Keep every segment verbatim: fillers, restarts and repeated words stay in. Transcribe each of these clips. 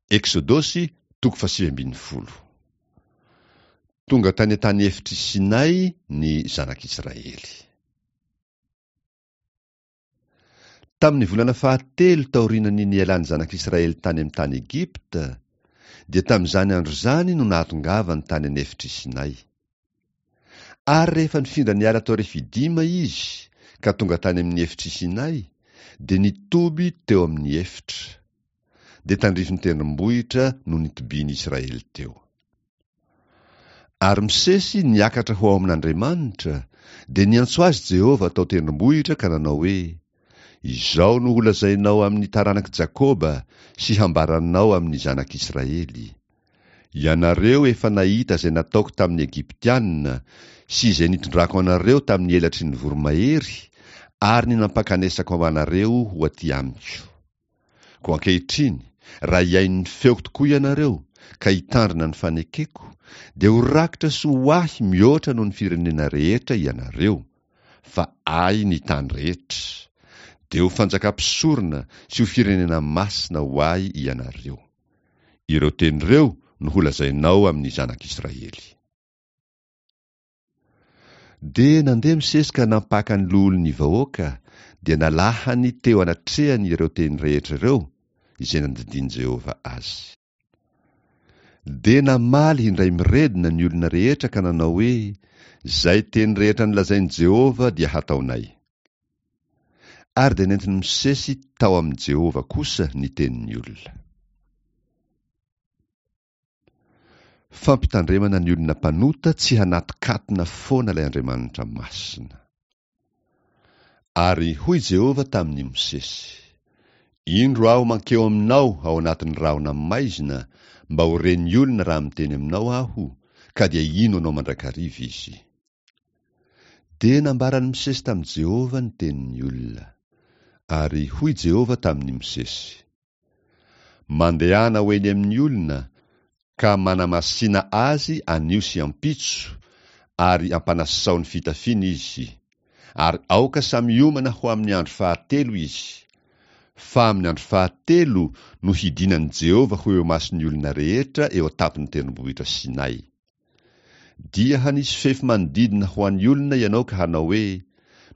Eksodosy toko fahasivy ambin'ny folo. Tonga tany an-tany efitr'i Sinay ny zanak'Israely. Tamin'ny volana fahatelo taorian'ny nialan'ny zanak'Israely tany amin'ny tany Egypta, dia tamin'izany andro izany no nahatongavany tany an'efitr'i Sinay. Ary rehefa nifindra niala tao Refidima izy ka tonga tany amin'ny efitr'i Sinay, dia nitoby teo amin'ny efitra. Dia tandrifin'ny tendrombohitra no nitobian'ny Israely teo. Ary Mosesy niakatra ho ao amin'Andriamanitra, dia niantso azy Jehovah tao tendrombohitra ka nanao hoe, Izao no holazainao amin'ny taranak'i Jakoba sy hambaranao amin'ny zanak'Israely. Ianareo efa nahita izay nataoko tamin'ny Egyptiana sy izay nitondrako anareo tamin'ny elatry ny voromahery ary ny nampakanesako anareo ho aty amiko. Koa ankehitriny, raha hihaino ny feoko tokoa ianareo ka hitandrina ny fanekeko, dia ho rakitra soa ho ahy mihoatra noho ny firenena rehetra ianareo, fa ahy ny tany rehetra. Dia ho fanjakam-pisorona sy ho firenena masina ho ahy ianareo. Ireo teny ireo no holazainao amin'ny zanak'Israely. Dia nandeha Mosesy ka nampaka ny loholon'ny vahoaka, dia nalahany teo anatrehany ireo teny rehetra ireo, izay nandidian'i Jehovah azy. Dia namaly indray miredona ny olona rehetra ka nanao hoe, Izay teny rehetra nolazain'i Jehovah dia hataonay. Ary dia nentin'i Mosesy tao amin'i Jehovah kosa ny tenin'ny olona. Fampitandremana ny olona mpanota tsy hanatokatona foana ilay Andriamanitra masina. Ary hoy Jehovah tamin'i Mosesy, Indro aho mankeo aminao ao anatin'ny rahona maizina mba ho ren'ny olona raha miteny aminao aho, ka dia hino anao mandrakariva izy. Dia nambaran'i Mosesy tamin'i Jehovah ny tenin'ny olona. Ary hoy Jehovah tamin'i Mosesy, Mandehana ho eny amin'ny olona, ka manamasina azy anio sy ampitso, ary ampanasao ny fitafiany izy. Ary aoka samy hiomana ho amin'ny andro fahatelo izy. Fa amin'ny andro fahatelo no hidinan'i Jehovah ho eo imason'ny olona rehetra eo an-tampon'ny tendrombohitra Sinay. Dia hanisy fefy manodidina ho an'ny olona ianao ka hanao hoe,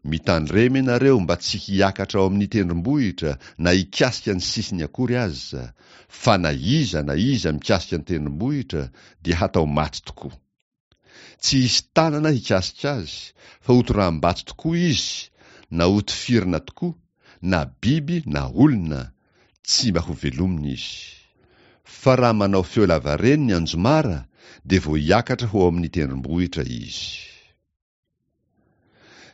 Mitandrema ianareo mba tsy hiakatra ao amin'ny tendrombohitra na hikasika ny sisiny akory aza, fa na iza na iza mikasika ny tendrombohitra dia hatao maty tokoa. Tsy hisy tanana hikasika azy, fa hotoraham-bato tokoa izy, na hotifirina tokoa, na biby na olona, tsy mba hovelomina izy. Fa raha manao feo lavareny ny anjomara, dia vao hiakatra ho ao amin'ny tendrombohitra izy.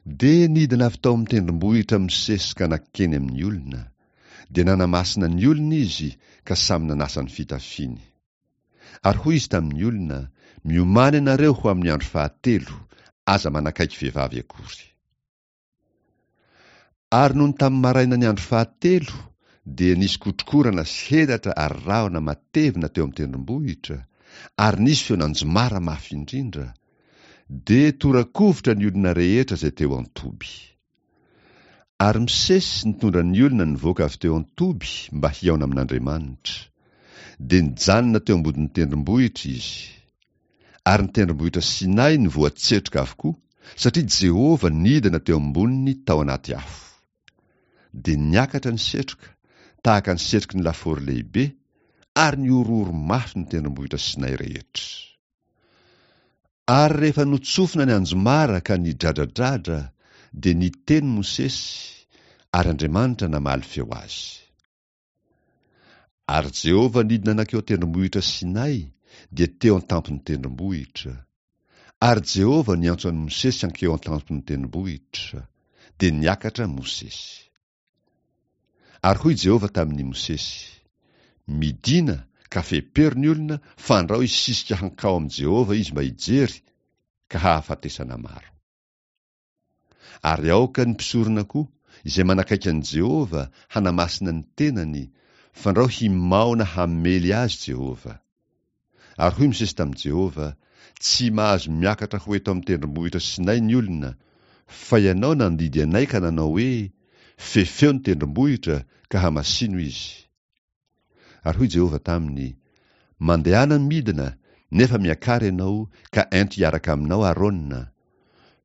Dia nidina avy tao amin'ny tendrombohitra Mosesy ka nankeny amin'ny olona. Dia nanamasina ny olona izy ka samy nanasa ny fitafiany. Ary hoy izy tamin'ny olona, Miomàna ianareo ho amin'ny andro fahatelo, aza manakaiky vehivavy akory. Ary nony tamin'ny maraina ny andro fahatelo, dia nisy kotrokorana sy helatra ary rahona matevina teo amin'ny tendrombohitra, ary nisy feon'anjomara mafy indrindra. Dia tora-kovitra ny olona rehetra izay teo an-toby. Ary Mosesy nitondra ny olona nivoaka avy teo an-toby mba hihaona amin'Andriamanitra. Dia nijanona teo ambodin'ny tendrombohitra izy. Ary ny tendrombohitra Sinay nivoatsetroka avokoa, satria Jehovah nidina teo amboniny tao anaty afo. Dia niakatra ny setroka, tahaka ny setroky ny lafaoro lehibe, ary nihorohoro mafy ny tendrombohitra Sinay rehetra. Ary rehefa notsofina ny anjomara ka nidradradradra, dia niteny Mosesy, ary Andriamanitra namaly feo azy. Ary Jehovah nidina nankeo an-tendrombohitra Sinay, dia teo an-tampon'ny tendrombohitra. Ary Jehovah niantso an'i Mosesy hankeo an-tampon'ny tendrombohitra, dia niakatra Mosesy. Ary hoy Jehovah tamin'i Mosesy, Midìna ka fepero ny olona, fandrao hisisika hankao amin'i Jehovah izy mba hijery, ka hahafatesana maro. Ary aoka ny mpisorona koa, izay manakaiky an'i Jehovah, hanamasina ny tenany, fandrao himaona hamely azy Jehovah. Ary hoy Mosesy tamin'i Jehovah, Tsy mahazo miakatra ho eto amin'ny tendrombohitra Sinay ny olona, fa ianao nandidy anay ka nanao hoe, Fefeo ny tendrombohitra, ka hamasino izy. Ary hoy Jehovah taminy, Mandehana midina, nefa miakara ianao, ka ento hiaraka aminao Arona.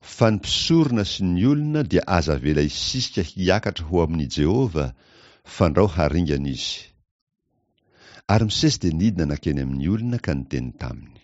Fa ny mpisorona sy ny olona dia aza avela hisisika hiakatra ho amin'i Jehovah, fandrao haringana izy. Ary Mosesy dia nidina nankeny amin'ny olona ka niteny taminy.